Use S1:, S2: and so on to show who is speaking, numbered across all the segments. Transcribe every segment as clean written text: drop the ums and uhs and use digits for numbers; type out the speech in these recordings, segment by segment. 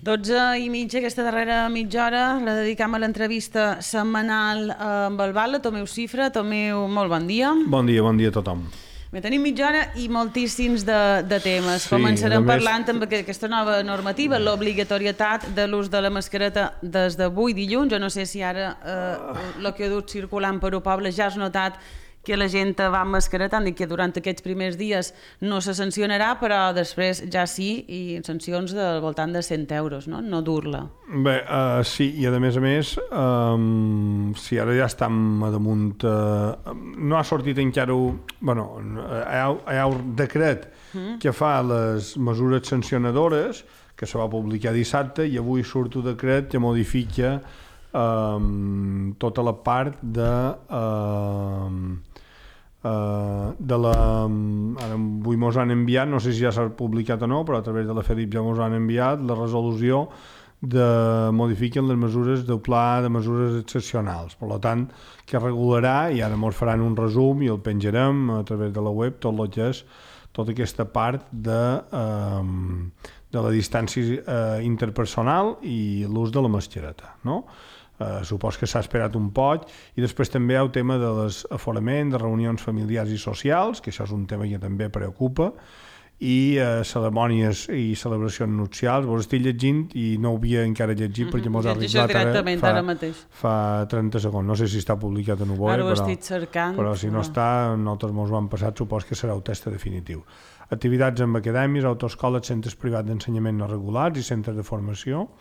S1: 12:30, aquesta darrera mitja hora la dedicam a l'entrevista setmanal amb el Val, Tomeu Cifra. Tomeu, molt bon dia.
S2: Bon dia a tothom.
S1: Bé, tenim mitja hora i moltíssims de temes. Començarem parlant amb aquesta nova normativa, l'obligatorietat de l'ús de la mascareta des d'avui dilluns. Jo no sé si ara el que ha dut circulant per el poble ja has notat que la gent va amb mascareta, han dit que durant aquests primers dies no se sancionarà, però després ja sí, i sancions del voltant de 100 euros, no dur-la.
S2: Bé, sí, i a més, si ara ja estem a damunt, no ha sortit encara, hi ha un decret que fa les mesures sancionadores, que se va publicar dissabte, i avui surt un decret que modifica tota la part de la... Ara avui mos han enviat, no sé si ja s'ha publicat o no, però a través de la FEDIP ja mos han enviat la resolució de modifiquen les mesures del pla de mesures excepcionals. Per tant, que regularà, i ara mos faran un resum i el penjarem a través de la web, tot el que és tota aquesta part de la distància interpersonal i l'ús de la mascareta, no? Supos que s'ha esperat un poc, i després també hi ha el tema de l'aforament, de reunions familiars i socials, que això és un tema que també preocupa, i cerimònies i celebracions nupcials. Vos estic llegint i no ho havia encara llegit perquè mos ha arribat fa 30 segons. No sé si està publicat o no, però si no està, nosaltres mos ho han passat, supos que serà el text definitiu. Activitats amb acadèmies, autoescoles, centres privats d'ensenyament no regulats i centres de formació.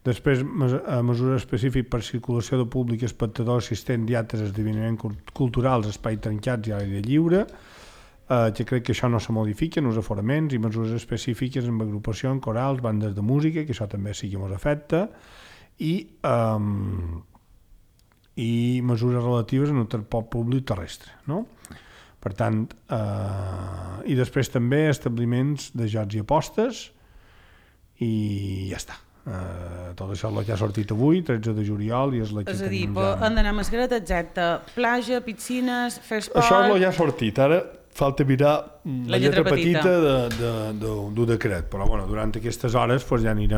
S2: Després, mesures específiques per circulació de públic, espectadors, assistents i altres esdeveniments culturals, espais tancats i a l'aire lliure, que crec que això no se modifica, els aforaments, i mesures específiques en agrupacions, corals, bandes de música, que això també sí que ens afecta, i mesures relatives en el transport públic terrestre, no? Per tant, i després també establiments de jocs i apostes, i ja està. Tot això és el que ha sortit avui, 13 de juliol, i és la que
S1: tenim ja. És a dir, han d'anar a mascareta, exacte. Platja, piscines, fer esport...
S2: Això és el que ha sortit. Ara falta mirar la lletra petita del decret, però durant aquestes hores ja anirà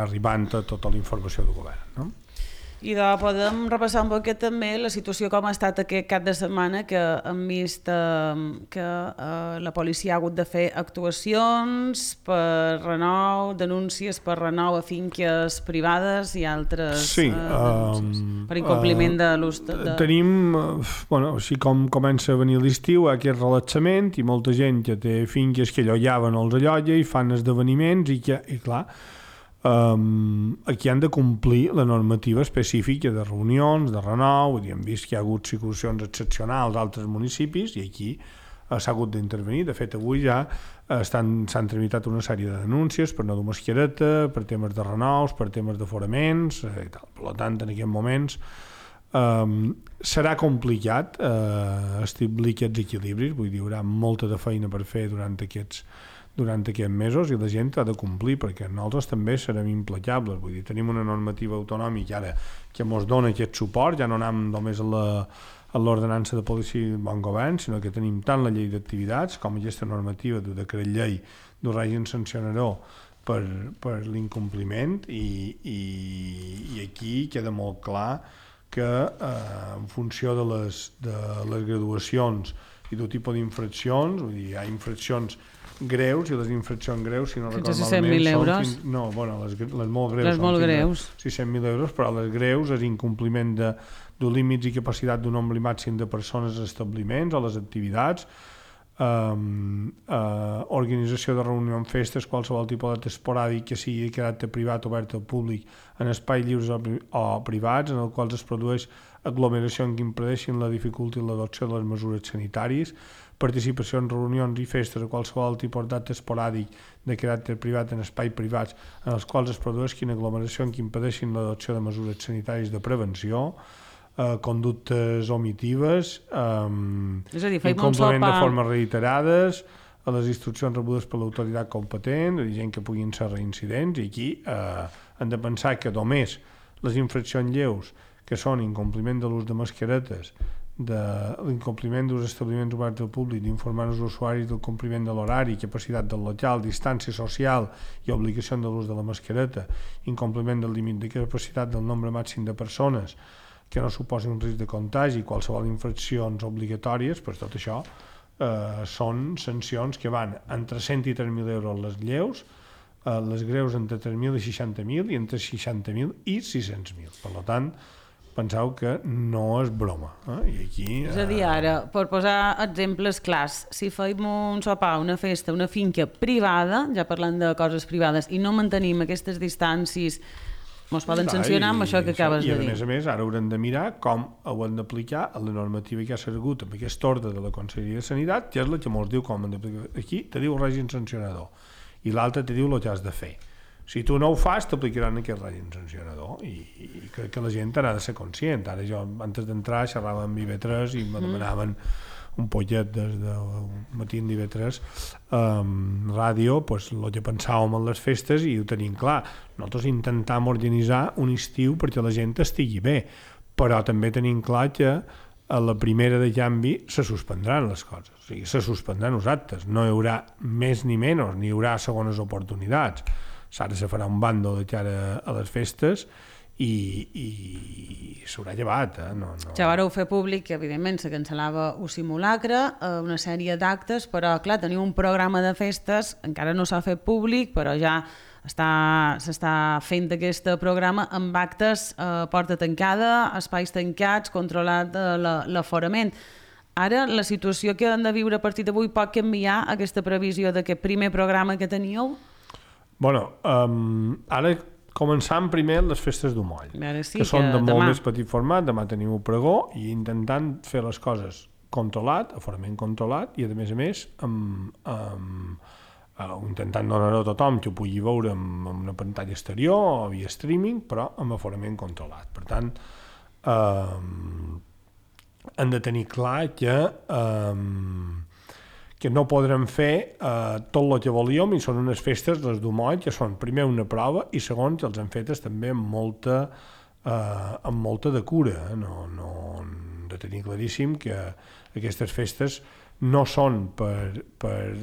S2: arribant tota la informació del govern, no?
S1: I podem repassar un poquet també la situació com ha estat aquest cap de setmana, que hem vist que la policia ha hagut de fer actuacions per renou, denúncies per renou a finques privades i altres denúncies per incompliment de l'ús de...
S2: Tenim, així com comença a venir l'estiu, aquest relaxament, i molta gent que té finques que allollaven els allolla i fan esdeveniments, i clar, aquí han de complir la normativa específica de reunions, de renou. Hem vist que hi ha hagut situacions excepcionals a altres municipis i aquí s'ha hagut d'intervenir. De fet, avui ja s'han tramitat una sèrie de denúncies per no dur mascareta, per temes de renous, per temes d'aforaments i tal. Per tant, en aquests moments serà complicat establir aquests equilibris. Vull dir, hi haurà molta de feina per fer durant aquests mesos, i la gent ha de complir, perquè nosaltres també serem implacables. Vull dir, tenim una normativa autonòmica ara que ens dona aquest suport, ja no anem només a l'ordenança de policia i bon govern, sinó que tenim tant la llei d'activitats com aquesta normativa de decret llei del règim sancionador per l'incompliment, i aquí queda molt clar que en funció de les graduacions i del tipus d'infraccions, vull dir, hi ha infraccions greus, i les infraccions greus, si no recordo malament, les molt greus.
S1: Les molt greus.
S2: 600.000 euros, però les greus és incompliment de límits i capacitat d'un nombre màxim de persones als establiments o les activitats, organització de reunió en festes, qualsevol tipus d'acte esporàdic que sigui de caràcter privat obert al públic en espais lliures o privats, en els quals es produeix aglomeració que impedeixin la dificultat i l'adopció de les mesures sanitàries, participació en reunions i festes a qualsevol tipus d'acte esporàdic de caràcter privat en espais privats en els quals es produeixin aglomeracions que impedeixin l'adopció de mesures sanitàries de prevenció, conductes omitives, incompliment de formes reiterades a les instruccions rebudes per l'autoritat competent, gent que puguin ser reincidents, i aquí hem de pensar que només les infraccions lleus, que són incompliment de l'ús de mascaretes, de l'incompliment dels establiments oberts al públic, d'informar els usuaris del compliment de l'horari, capacitat del local, distància social i obligació de l'ús de la mascareta, incompliment del límit de capacitat del nombre màxim de persones que no suposi un risc de contagi, qualsevol infraccions obligatòries, doncs tot això són sancions que van entre 100 i 3.000 euros les lleus, les greus entre 3.000 i 60.000 i entre 60.000 i 600.000. Per tant, penseu que no és broma. I aquí,
S1: és a dir, ara, per posar exemples clars, si feim un sopar, una festa, una finca privada, ja parlant de coses privades, i no mantenim aquestes distàncies, ens poden sancionar amb això que acabes de dir.
S2: I a més, ara haurem de mirar com ho hem d'aplicar a la normativa que ha sigut amb aquest ordre de la Conselleria de Sanitat, que és la que ens diu com hem d'aplicar. Aquí te diu el règim sancionador i l'altre te diu el que has de fer. Si tu no ho fas, t'aplicaran aquest règim sancionador i crec que la gent ha de ser conscient. Ara jo, antes d'entrar, xerrava amb IB3 i me demanaven un pollet des del matí en IB3 ràdio, pues, el que pensàvem en les festes i ho tenim clar. Nosaltres intentem organitzar un estiu perquè la gent estigui bé, però també tenim clar que a la primera de canvi se suspendran les coses, o sigui, se suspendran els actes, no hi haurà més ni menys, ni hi haurà segones oportunitats. Ara se farà un bàndol de cara a les festes i s'haurà llevat.
S1: Ja vareu fer públic que, evidentment, se cancel·lava un simulacre, una sèrie d'actes, però, clar, teniu un programa de festes, encara no s'ha fet públic, però ja s'està fent aquest programa amb actes porta tancada, espais tancats, controlat l'aforament. Ara, la situació que hem de viure a partir d'avui pot canviar aquesta previsió d'aquest primer programa que teníeu?
S2: Bueno, ara començant primer les festes d'Umoll, que són de molt més petit format. Demà tenim un pregó i intentant fer les coses controlat, aforament controlat, i a més intentant donar-ho a tothom que ho pugui veure amb una pantalla exterior o via streaming, però amb aforament controlat. Per tant, hem de tenir clar que no podrem fer tot el que volíem, i són unes festes, les d'Umoll, que són primer una prova i segon que els han fetes també amb molta de cura. No hem de tenir claríssim que aquestes festes no són per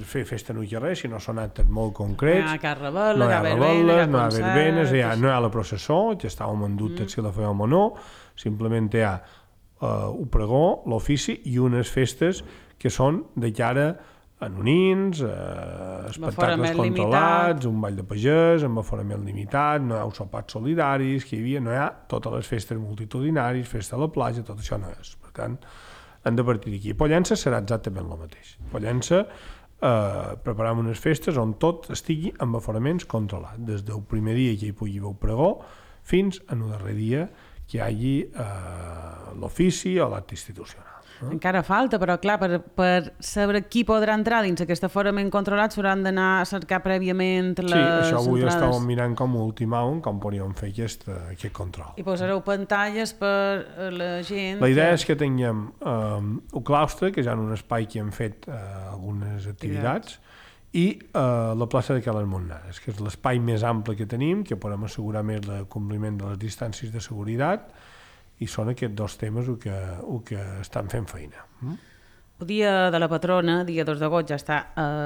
S2: fer festa no hi ha res, sinó són actes molt concrets.
S1: No hi ha cap rebel·la,
S2: no hi ha rebel·les, no hi ha verbenes, no hi ha la processó, que estàvem en dubte si la fèiem o no, simplement hi ha un pregó, l'ofici i unes festes que són de cara a nonins, espectacles controlats, un ball de pagès, amb aforament limitat, no hi ha sopars solidaris, que hi havia, no hi ha totes les festes multitudinaris, festa a la platja, tot això no és. Per tant, hem de partir d'aquí. Pollença serà exactament el mateix. Pollença preparem unes festes on tot estigui amb aforaments controlats, des del primer dia que hi pugui haver pregó fins al darrer dia que hi hagi l'ofici o l'acte institucional.
S1: Encara falta, però clar, per saber qui podrà entrar dins aquest aforament controlat s'hauran d'anar a cercar prèviament les entrades.
S2: Sí, això avui estàvem mirant com ultimàvem com podríem fer aquest control.
S1: I posareu pantalles per la gent...
S2: La idea és que tinguem un claustre, que ja en un espai que hem fet algunes activitats, i la plaça de Cales Montnares, que és l'espai més ample que tenim, que podem assegurar més el compliment de les distàncies de seguretat, i són aquests dos temes el que estan fent feina.
S1: El dia de la patrona, dia 2 d'agost, ja està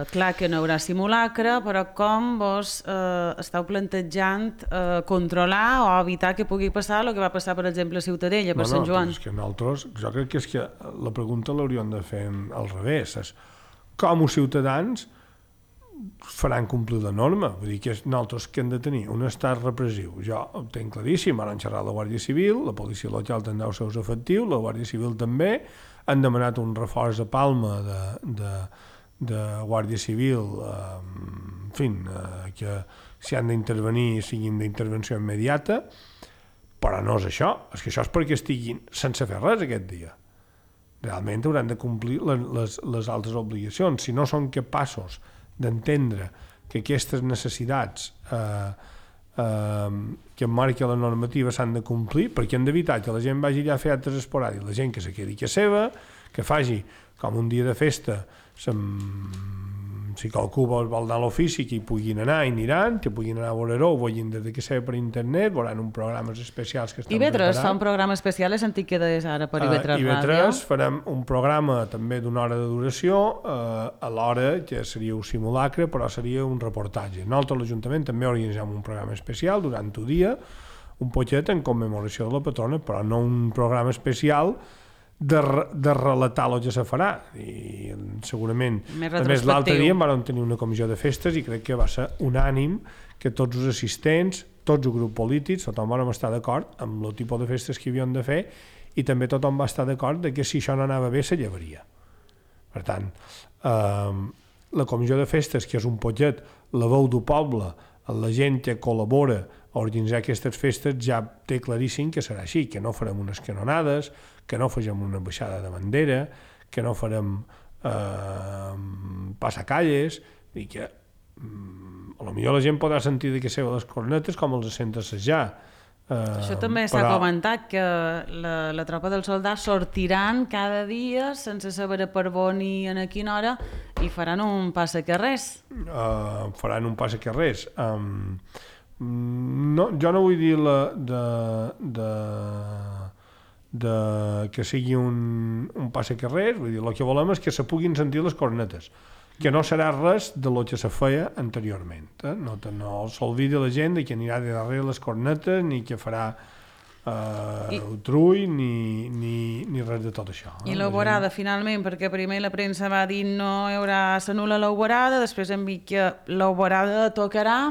S1: clar que no hi haurà simulacre, però com vos esteu plantejant controlar o evitar que pugui passar el que va passar, per exemple, a Ciutadella, per Sant Joan?
S2: És que nosaltres, jo crec que és que la pregunta l'hauríem de fer al revés. És com els ciutadans faran complir la norma? Vull dir que nosaltres que hem de tenir un estat repressiu. Jo ho tenc claríssim, ara han xerrat la Guàrdia Civil, la policia local tindrà els seus efectius, la Guàrdia Civil també, han demanat un reforç a Palma de Guàrdia Civil, en fi, que si han d'intervenir siguin d'intervenció immediata, però no és això, és que això és perquè estiguin sense fer res aquest dia. Realment hauran de complir les altres obligacions. Si no són capaços d'entendre que aquestes necessitats que marca la normativa s'han de complir, perquè hem d'evitar que la gent vagi allà a fer actes esporàdics, la gent que se quedi a seva, que faci com un dia de festa si qualcú vol anar a l'ofici, que hi puguin anar i aniran, que puguin anar a veure-ho, ho vegin des de que seva per internet, veuran uns programes especials que estan
S1: preparats. IB3 fa un programa especial, he sentit que és ara per IB3 Ràdio.
S2: IB3 farem un programa també d'una hora de duració, a l'hora que seria un simulacre, però seria un reportatge. Nosaltres, l'Ajuntament, també organitzem un programa especial durant un dia, un poquet en commemoració de la patrona, però no un programa especial de relatar el que se farà. I segurament, a més, l'altre dia vam tenir una comissió de festes i crec que va ser unànim que tots els assistents, tots els grups polítics, tothom vam estar d'acord amb el tipus de festes que havien de fer i també tothom va estar d'acord que si això no anava bé se llevaria. Per tant, la comissió de festes, que és un poquet la veu del poble, la gent que col·labora a organitzar aquestes festes, ja té claríssim que serà així, que no farem unes canonades, que no farem una baixada de bandera, que no farem passacalles, i que potser la gent podrà sentir de què seva les cornetes com els sent assajar.
S1: Això també s'ha comentat, que la tropa dels soldats sortiran cada dia sense saber per on i a quina hora i faran un passacarrers.
S2: Faran un passacarrers. No, jo no vull dir que sigui un passacarrers, vull dir, el que volem és que se puguin sentir les cornetes, que no serà res de lo que se feia anteriorment. No s'olvidi la gent que anirà de darrere les cornetes, ni que farà trull, ni res de tot això.
S1: I l'alborada, finalment, perquè primer la premsa va dir no hi haurà s'anul·la l'alborada, després hem vist que l'alborada tocarà,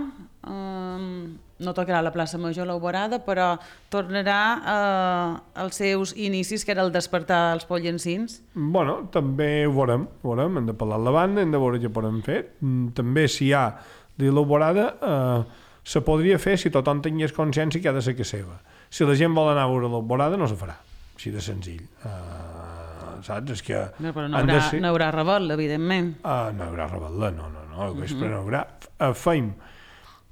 S1: no tocarà a la plaça Major l'alborada, però tornarà als seus inicis, que era el despertar els pollencins.
S2: Bueno, també ho veurem, hem de parlar amb la banda, hem de veure què podem fer. També si hi ha de l'alborada, se podria fer si tothom tingués consciència que ha de ser que seva. Si la gent vol anar a veure l'alborada, no se farà, així de senzill. Saps? És que...
S1: No, però no haurà rebel·la, evidentment.
S2: No hi haurà rebel·la, no, al vespre no hi haurà. Feim.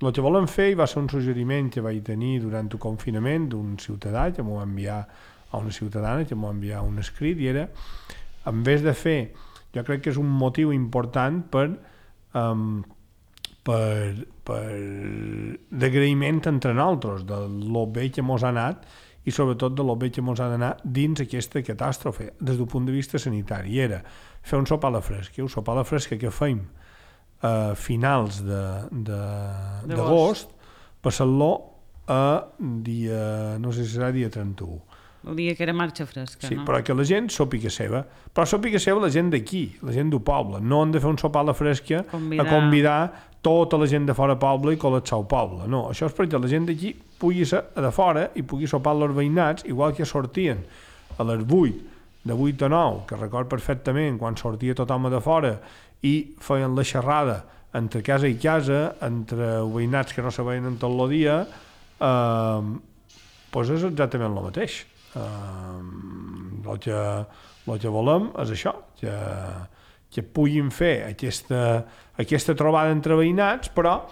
S2: El que volem fer, i va ser un suggeriment que vaig tenir durant el confinament d'un ciutadà que m'ho va enviar a una ciutadana, que m'ho va enviar un escrit, i era, en vez de fer, jo crec que és un motiu important per d'agraïment entre nosaltres, de lo bé que mos ha anat i sobretot de lo bé que mos ha d'anar dins aquesta catàstrofe, des del punt de vista sanitari. I era fer un sopar a la fresca, un sopar a la fresca que feim a finals d'agost, passant-lo a dia, no sé si serà dia 31.
S1: El dia que era marxa fresca,
S2: sí,
S1: no?
S2: Però que la gent sòpiga seva. Però sòpiga seva la gent d'aquí, la gent del poble. No han de fer un sopar a la fresca a convidar tota la gent de fora poble i col·lapsar el poble. No, això és perquè la gent d'aquí pugui ser de fora i pugui sopar els veïnats, igual que sortien a les 8, de 8 a 9, que record perfectament quan sortia tothom de fora i feien la xerrada entre casa i casa, entre veïnats que no se veien en tot el dia, doncs és exactament el mateix. El que volem és això, que puguin fer aquesta trobada entre veïnats, però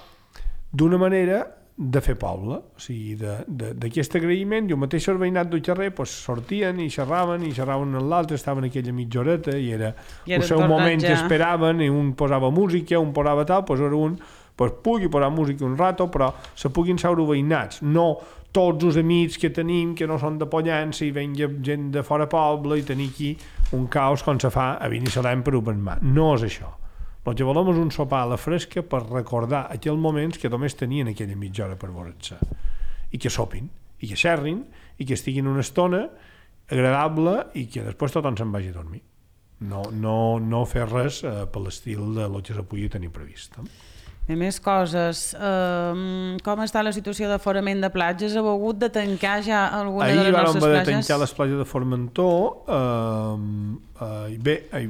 S2: d'una manera de fer poble, o sigui, d'aquest agraïment, i el mateix veïnat del carrer sortien i xerraven amb l'altre, estaven aquella mitja horeta i era el seu moment que esperaven, i un posava música, un posava tal, doncs ara un pugui posar música un rato, però se puguin seure veïnats, no tots els amics que tenim que no són de Pollença i venga gent de fora poble i tenir aquí un caos com se fa a Binissalem per Open Mar. No és això. El que volem és un sopar a la fresca per recordar aquells moments que només tenien aquella mitja hora per veure's, i que sopin, i que xerrin, i que estiguin una estona agradable i que després tothom se'n vagi a dormir. No fer res per l'estil de lo que se pugui tenir previst.
S1: I més coses. Com està la situació d'aforament de platges? Heu hagut de tancar ja alguna de les nostres platges?
S2: Ahir vam haver de tancar les platges de Formentor. Bé, ahir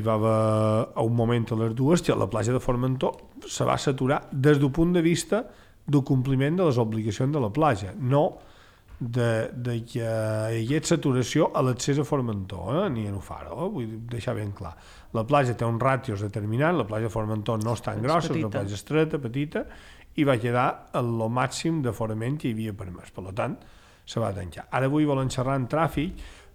S2: va haver a un moment a les dues que la platja de Formentor se va saturar des del punt de vista del compliment de les obligacions de la platja, no de que hi hagués saturació a l'accés a Formentor, ni a Nufaro, vull deixar ben clar. La platja té uns ràtios determinats, la platja de Formentor no és tan grossa, és una platja estreta, petita, i va quedar el màxim d'aforament que hi havia permès. Per tant, se va tancar. Ara avui volen xerrar en tràfic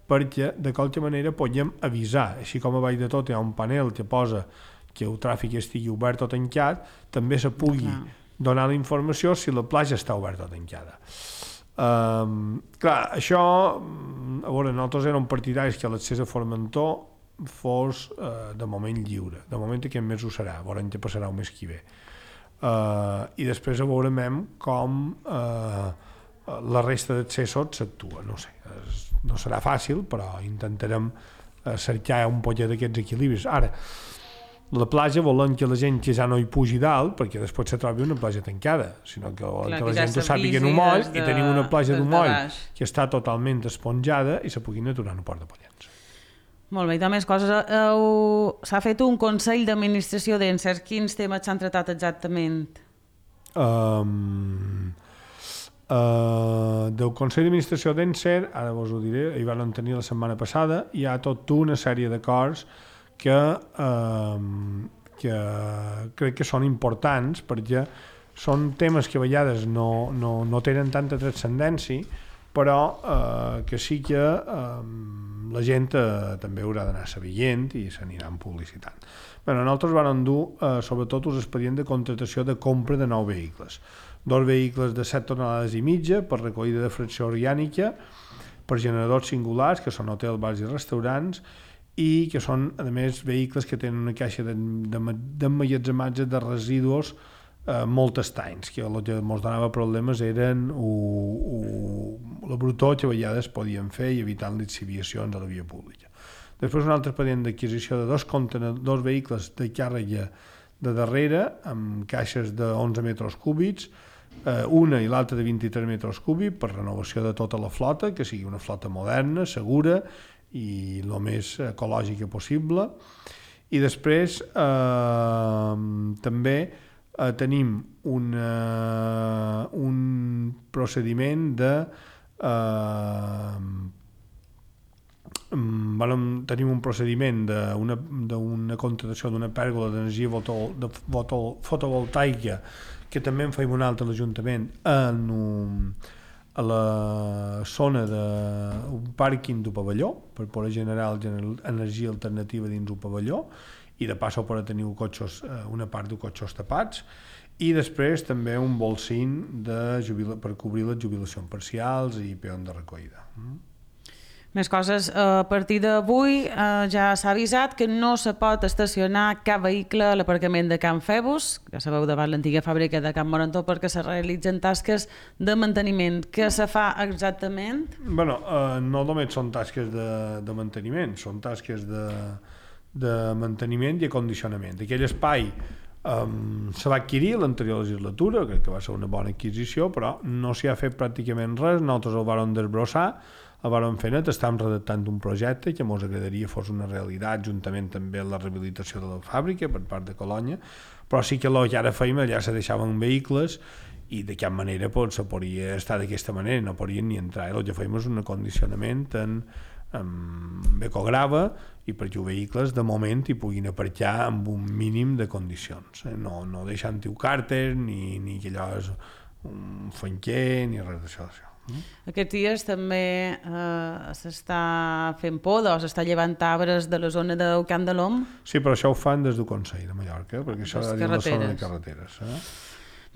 S2: perquè de qualque manera podem avisar, així com a baix de tot hi ha un panel que posa que el tràfic estigui obert o tancat, també se pugui donar la informació si la platja està oberta o tancada. Clar, això, a veure, nosaltres érem partidaris que l'accés a Formentor fos de moment lliure. De moment aquest mes ho serà, veurem què passarà el mes que ve. I després veurem com la resta d'accessos s'actua. No sé, no serà fàcil, però intentarem cercar un poquet d'aquests equilibris. Ara, la platja volem que la gent que ja no hi pugi dalt, perquè després se trobi una platja tancada, sinó que volem que la gent ho sàpiga en un moll i tenim una platja d'un moll que està totalment esponjada i se puguin aturar en el Port de Pollens.
S1: Molt bé, i de més coses. S'ha fet un Consell d'Administració d'Encer. Quins temes s'han tratat exactament?
S2: Del Consell d'Administració d'Encer, ara vos ho diré, hi van tenir la setmana passada, hi ha tota una sèrie d'acords que crec que són importants perquè són temes que a vegades no tenen tanta transcendència, però que sí que la gent també haurà d'anar sabent i s'aniran publicitant. Nosaltres vam dur sobretot els expedients de contratació de compra de 9 vehicles. 2 vehicles de 7 tonelades i mitja per recollida de fracció orgànica, per generadors singulars, que són hotels, bars i restaurants, i que són, a més, vehicles que tenen una caixa d'emmagatzematge de residus molt estanys, que el que ens donava problemes eren la brutor que a vegades podien fer i evitant lixiviacions a la via pública. Després un altre expedient d'adquisició de 2 vehicles de càrrega de darrere amb caixes de 11 metres cúbics, una i l'altra de 23 metres cúbics per renovació de tota la flota, que sigui una flota moderna, segura i el més ecològica possible. I després també tenim un procediment tenim un procediment d'una contractació d'una pèrgola d'energia fotovoltaica que també en feim un altre a l'Ajuntament a la zona d'un pàrquing d'un pavelló per poder generar energia alternativa dins un pavelló i de pas per tenir una part de cotxos tapats, i després també un bolsín per cobrir les jubilacions parcials i peons de recollida.
S1: Més coses. A partir d'avui ja s'ha avisat que no se pot estacionar cap vehicle a l'aparcament de Can Febus, ja sabeu, davant l'antiga fàbrica de Can Morantó, perquè se realitzen tasques de manteniment. Què se fa exactament?
S2: No només són tasques de manteniment, són tasques de manteniment i acondicionament. Aquell espai se va adquirir a l'anterior legislatura, crec que va ser una bona adquisició, però no s'hi ha fet pràcticament res. Nosaltres el vàrem desbrossar, el vàrem fer net, estàvem redactant un projecte que ens agradaria fos una realitat, juntament també amb la rehabilitació de la fàbrica per part de Colònia, però sí que el que ara feim allà se deixaven vehicles i de cap manera se podria estar d'aquesta manera, no podien ni entrar. El que feim és un acondicionament amb ecograva i perquè els vehicles de moment hi puguin aparcar amb un mínim de condicions, no deixant-hi càrter ni que allò és un fanquer ni res d'això.
S1: Aquests dies també s'està fent poda o s'està llevant arbres de la zona del Camp de l'Om.
S2: Sí, però això ho fan des del Consell de Mallorca, perquè això és la zona de carreteres.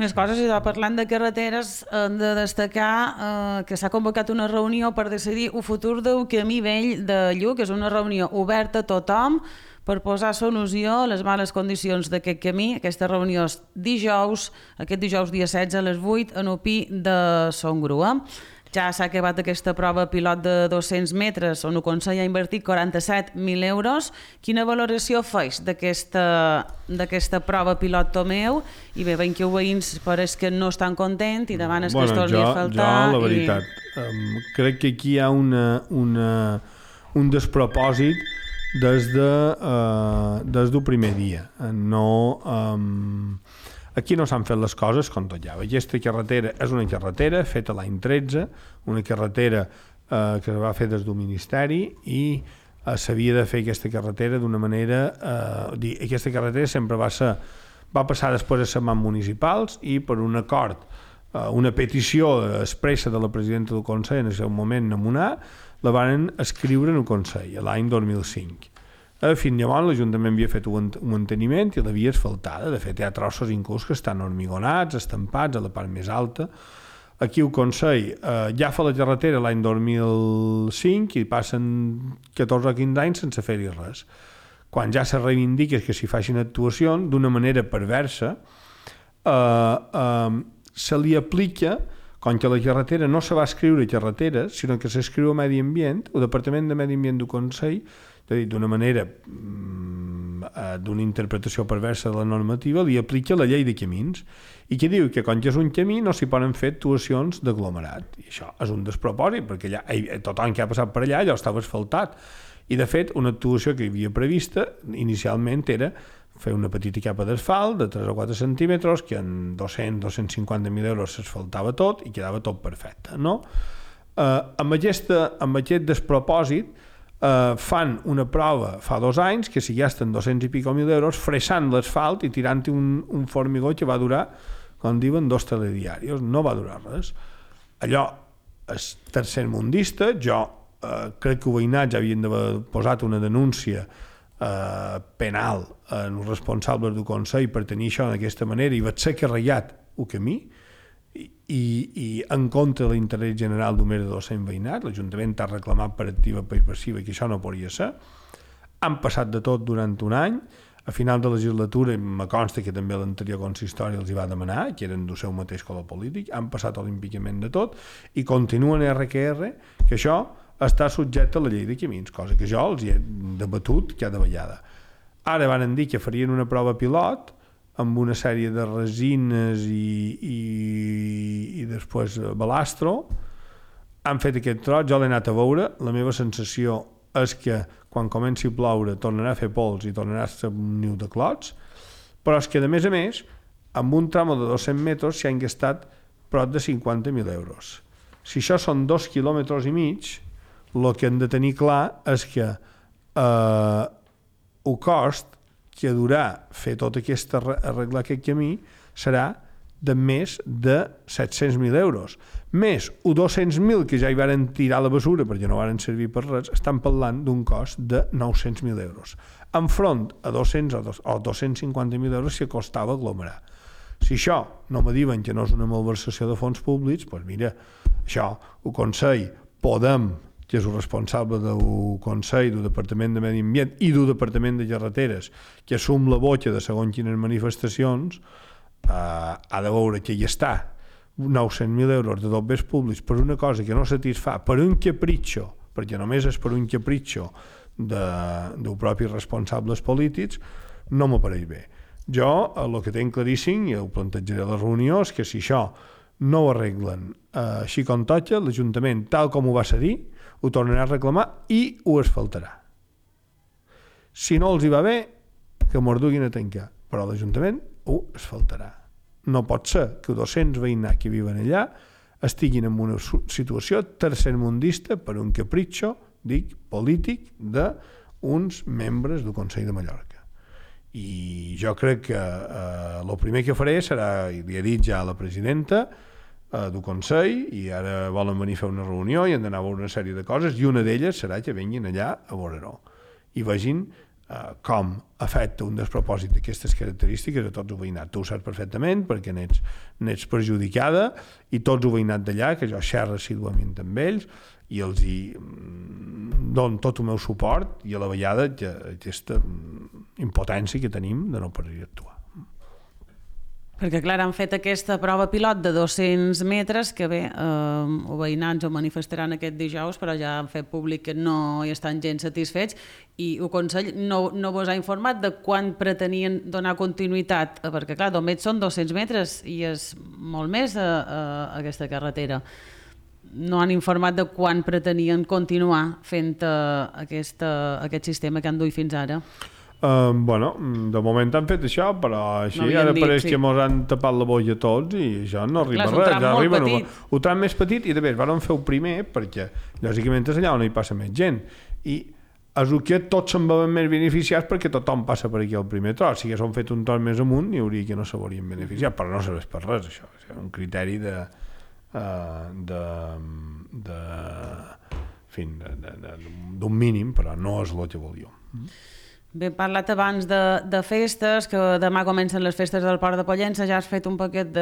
S1: Més coses, i parlant de carreteres, hem de destacar que s'ha convocat una reunió per decidir el futur del camí vell de Lluc, que és una reunió oberta a tothom per posar solució a les males condicions d'aquest camí. Aquesta reunió és aquest dijous dia 16 a les 8 en el Pi de Son Grua. Ja s'ha acabat aquesta prova pilot de 200 metres on el Consell ha invertit 47.000 euros. Quina valoració feix d'aquesta prova pilot, Tomeu? I bé, veiem que els veïns pareix que no estan contents i demanes que es torni a faltar.
S2: Jo, la veritat, crec que aquí hi ha un despropòsit des del primer dia. Aquí no s'han fet les coses com tot ja. Aquesta carretera és una carretera feta l'any 13, una carretera que es va fer des del Ministeri i s'havia de fer aquesta carretera d'una manera... Aquesta carretera sempre va passar després a les mans municipals i per un acord, una petició expressa de la presidenta del Consell en el seu moment nomenar, la van escriure en el Consell l'any 2005. Fins llavors l'Ajuntament havia fet un manteniment i l'havia asfaltada. De fet, hi ha trossos inclús que estan hormigonats, estampats a la part més alta. Aquí el Consell ja fa la carretera l'any 2005 i passen 14 o 15 anys sense fer-hi res. Quan ja se reivindica que s'hi facin actuacions, d'una manera perversa, se li aplica, com que la carretera no se va escriure carretera, sinó que s'escriu a Medi Ambient, el Departament de Medi Ambient del Consell, d'una manera, d'una interpretació perversa de la normativa, li aplica la llei de camins, i que diu que quan és un camí no s'hi poden fer actuacions d'aglomerat. I això és un despropòsit, perquè allà, tothom que ha passat per allà, allò estava asfaltat. I, de fet, una actuació que hi havia prevista, inicialment, era fer una petita capa d'asfalt de 3 o 4 centímetres, que en 200-250.000 euros s'asfaltava tot i quedava tot perfecte, no? Amb aquest despropòsit, fan una prova fa 2 anys que s'hi gasten 200 i pico mil euros fressant l'asfalt i tirant-hi un formigó que va durar, com diuen, 2 telediaris. No va durar res. Allò és tercermundista. Jo crec que el veïnat ja havien d'haver posat una denúncia penal en els responsables del Consell per tenir això d'aquesta manera i vaig ser carregat el camí i en contra de l'interès general d'un més de 200 veïnats. L'Ajuntament ha reclamat per activa per passiva que això no podria ser. Han passat de tot durant un any. A final de legislatura me consta que també l'anterior consistori els hi va demanar, que eren del seu mateix color polític. Han passat olímpicament de tot i continuen RQR que això està subjecte a la llei de camins, cosa que jo els hi he debatut cada vegada. Ara van dir que farien una prova pilot amb una sèrie de resines i després balastro. Han fet aquest tros, jo l'he anat a veure, la meva sensació és que quan comenci a ploure tornarà a fer pols i tornarà a ser un niu de clots, però és que a més, amb un tram de 200 metres s'hi han gastat prop de 50.000 euros. Si això són 2,5 quilòmetres, el que hem de tenir clar és que el cost que durà fer tot arreglar aquest camí serà de més de 700.000 euros. Més els 200.000 que ja hi varen tirar a la basura perquè no varen servir per res, estan parlant d'un cost de 900.000 euros. Enfront a 200 o 250.000 euros que costava aglomerar. Si això no me diuen que no és una malversació de fons públics, doncs mira, això, el Consell, Podem, que és el responsable del Consell, del Departament de Medi Ambient i del Departament de Carreteres, que assum la boca de segons quines manifestacions, ha de veure que hi està 900.000 euros de dobbers públics per una cosa que no satisfà, per un capritxo, perquè només és per un capritxo dels propis responsables polítics, no m'apareix bé. Jo, el que tinc claríssim, i ho plantejaré a la reunió, és que si això no ho arreglen així com toca, l'Ajuntament, tal com ho va cedir, ho tornarà a reclamar i ho asfaltarà. Si no els hi va bé, que mos duguin a tancar, però l'Ajuntament ho asfaltarà. No pot ser que 200 veïnats que viuen allà estiguin en una situació tercermundista per un capritxo, dic, polític d'uns membres del Consell de Mallorca. I jo crec que el primer que faré serà, i li he dit ja a la presidenta del Consell, i ara volen venir a fer una reunió i han d'anar a veure una sèrie de coses, i una d'elles serà que vinguin allà a veure-ho i vegin com afecta un despropòsit d'aquestes característiques a tots els veïnats. Tu ho saps perfectament perquè n'ets perjudicada, i tots els veïnats d'allà, que jo xerro assíduament amb ells i els hi dono tot el meu suport, i a la vegada aquesta impotència que tenim de no poder actuar.
S1: Perquè, clar, han fet aquesta prova pilot de 200 metres, que bé, els veïnats ho manifestaran aquest dijous, però ja han fet públic que no hi estan gens satisfets, i el Consell no vos ha informat de quan pretenien donar continuïtat, perquè, clar, només són 200 metres i és molt més a aquesta carretera. No han informat de quan pretenien continuar fent aquest sistema que han duit fins ara.
S2: Bueno, de moment han fet això, però així ara pareix que mos han tapat la boia tots i això no arriba res.
S1: Clar, és un tram molt petit.
S2: Un tram més petit, i de més, van fer el primer perquè, lògicament, és allà on hi passa més gent. I és que tots se'n veuen més beneficiats perquè tothom passa per aquí al primer tros. Si haguéssim fet un tros més amunt, hi hauria que no s'haurien beneficiat, però no serveix per res, això. És un criteri de d'un mínim, però no és el que volíem.
S1: Bé, he parlat abans de festes, que demà comencen les festes del Port de Pollença, ja has fet un paquet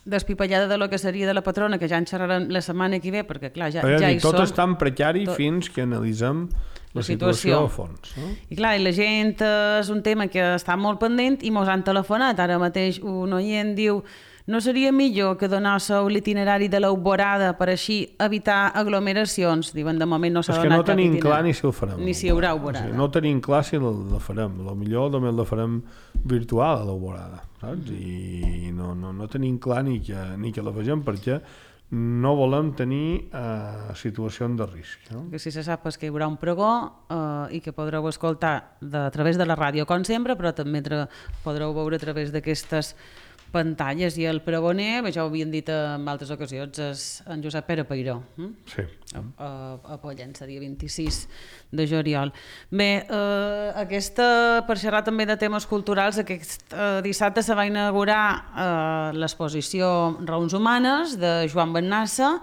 S1: d'espipallada de lo que seria de la patrona, que ja en xerrarem la setmana que ve, perquè clar, ja hi som.
S2: Tot és tan precari fins que analitzem la situació a fons. No?
S1: I clar, la gent és un tema que està molt pendent i mos han telefonat. Ara mateix un oient diu: no seria millor que donéssiu l'itinerari de l'Alborada per així evitar aglomeracions? Diuen, de moment no s'ha donat.
S2: És que no tenim clar ni si el farem.
S1: Ni si hi haurà Alborada.
S2: O sigui, no tenim clar si la farem. Potser només la farem virtual a l'Alborada, saps? I no tenim clar ni que la vegem, perquè no volem tenir situacions de risc. No?
S1: Que si se sap és que hi haurà un pregó i que podreu escoltar a través de la ràdio, com sempre, però també podreu veure a través d'aquestes pantalles. I el pregoner, ja ho havien dit en altres ocasions, és en Josep Pere Peiró.
S2: Sí.
S1: A Pollença, dia 26 de juliol. Bé, per xerrar també de temes culturals, aquest dissabte se va inaugurar l'exposició Raons Humanes de Joan Bennassa.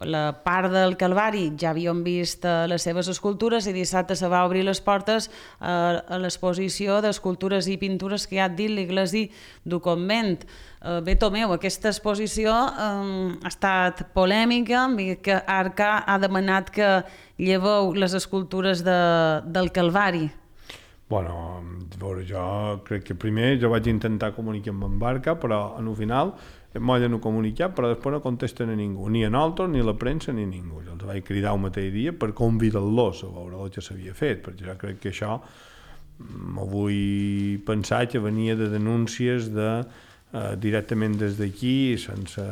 S1: La part del Calvari ja havíem vist les seves escultures i dissabte se va obrir les portes a l'exposició d'escultures i pintures que ha dit l'Iglesi du Convent. Bé, Tomeu, aquesta exposició ha estat polèmica, que Arca ha demanat que lleveu les escultures del Calvari.
S2: Bueno, jo crec que primer jo vaig intentar comunicar amb Arca, però al final m'ho no comunicat, però després no contesten a ningú, ni a nosaltres, ni a la premsa, ni a ningú. Jo els vaig cridar un mateix dia per convidar-los a veure el que s'havia fet, perquè jo crec que això m'ho vull pensar que venia de denúncies directament des d'aquí, sense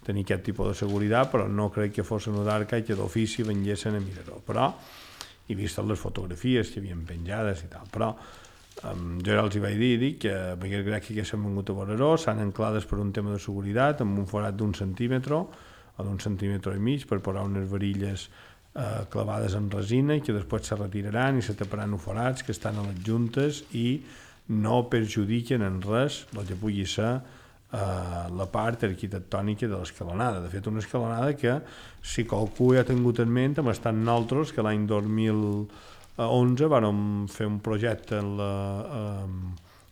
S2: tenir aquest tipus de seguretat, però no crec que fos una d'Arca i que d'ofici venguessin a mirar-ho. Però he vist les fotografies que havien penjades i tal, però jo ja els vaig dir que perquè crec que s'han vengut a veure-ho, s'han anclades per un tema de seguretat amb un forat d'1 centímetre o d'1 centímetre i mig per posar unes varilles clavades en resina i que després se retiraran i se taparan els forats que estan a les juntes i no perjudiquen en res el que pugui ser la part arquitectònica de l'escalonada. De fet, una escalonada que, si qualcú ja ha tingut en ment, hem estat nosaltres que l'any 2011 vàrem fer un projecte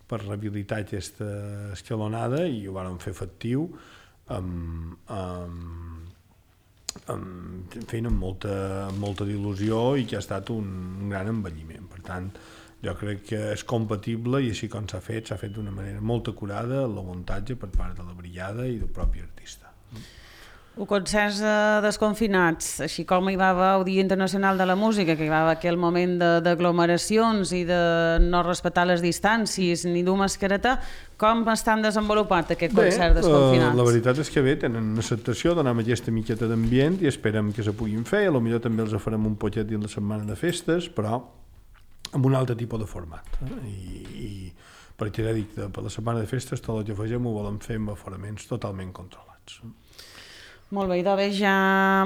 S2: per rehabilitar aquesta escalonada i ho vàrem fer efectiu amb molta il·lusió i que ha estat un gran envelliment. Per tant, jo crec que és compatible i així com s'ha fet d'una manera molt acurada el muntatge per part de la brigada i del propi artista.
S1: Ho concerts desconfinats, així com hi va haver el Dia Internacional de la Música, que hi va haver aquell moment d'aglomeracions i de no respectar les distàncies ni dur mascareta, com estan desenvolupat aquest concert desconfinats?
S2: La veritat és que bé, tenen una acceptació, donem aquesta miqueta d'ambient i esperem que se puguin fer, potser també els farem un poquet dins la setmana de festes, però amb un altre tipus de format. I perquè ja dic, per la setmana de festes tot el que fegem ho volem fer amb aforaments totalment controlats.
S1: Molt bé, doncs ja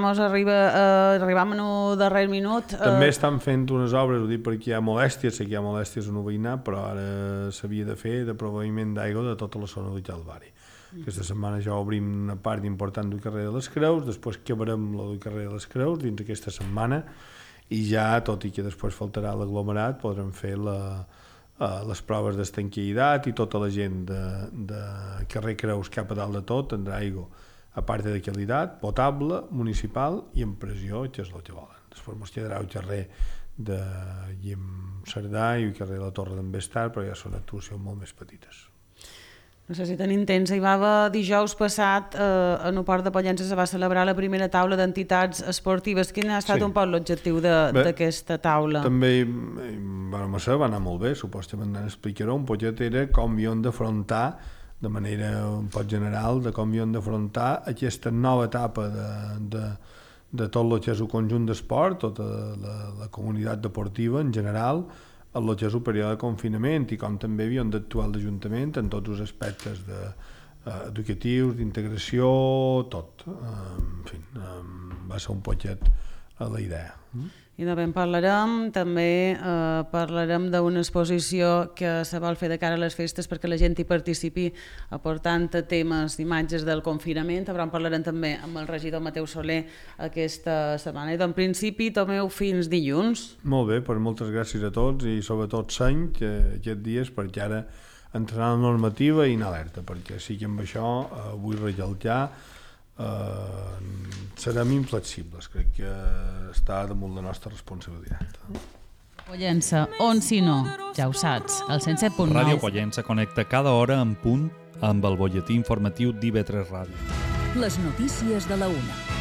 S1: arribam en el darrer minut.
S2: També estan fent unes obres, ho dic perquè hi ha molèsties, sé que hi ha molèsties en el veïnat, però ara s'havia de fer de proveïment d'aigua de tota la zona del Calvari. Aquesta setmana ja obrim una part important del carrer de les Creus, després acabarem la del carrer de les Creus dins aquesta setmana i ja, tot i que després faltarà l'aglomerat, podrem fer les proves d'estanquitat i tota la gent de carrer Creus cap a dalt de tot tindrà aigua a part de qualitat, potable, municipal i en pressió, que és el que volen. Després ens quedarà el carrer de Guillem Cerdà i el carrer de la Torre d'en Bestar, però ja són actuacions molt més petites.
S1: No sé si tenim temps, hi va haver dijous passat en el Port de Pollença se va celebrar la primera taula d'entitats esportives. Quin ha estat un poc l'objectiu d'aquesta taula?
S2: També va anar molt bé, supostament explicaré un poquet era com hi hem d'afrontar de manera un poc general de com hi hem d'afrontar aquesta nova etapa de tot el que és el conjunt d'esport, tota la comunitat deportiva en general, en el que és el període de confinament i com també havíem d'actuar l'Ajuntament en tots els aspectes educatius, d'integració, tot. En fi, va ser un poquet la idea.
S1: I també en parlarem, també parlarem d'una exposició que se vol fer de cara a les festes perquè la gent hi participi aportant temes, imatges del confinament, però en parlarem també amb el regidor Mateu Soler aquesta setmana. I en principi, Tomeu, fins dilluns.
S2: Molt bé, doncs moltes gràcies a tots i sobretot seny aquests dies perquè ara entrarà la normativa i anar alerta, perquè sí que amb això vull recalcar serem inflexibles, crec que està damunt la nostra responsabilitat.
S1: Pollença, on si no, ja ho saps, el 107.9.
S3: Ràdio Pollença connecta cada hora en punt amb el butlletí informatiu d'IV3 Ràdio.
S4: Les notícies de la 1.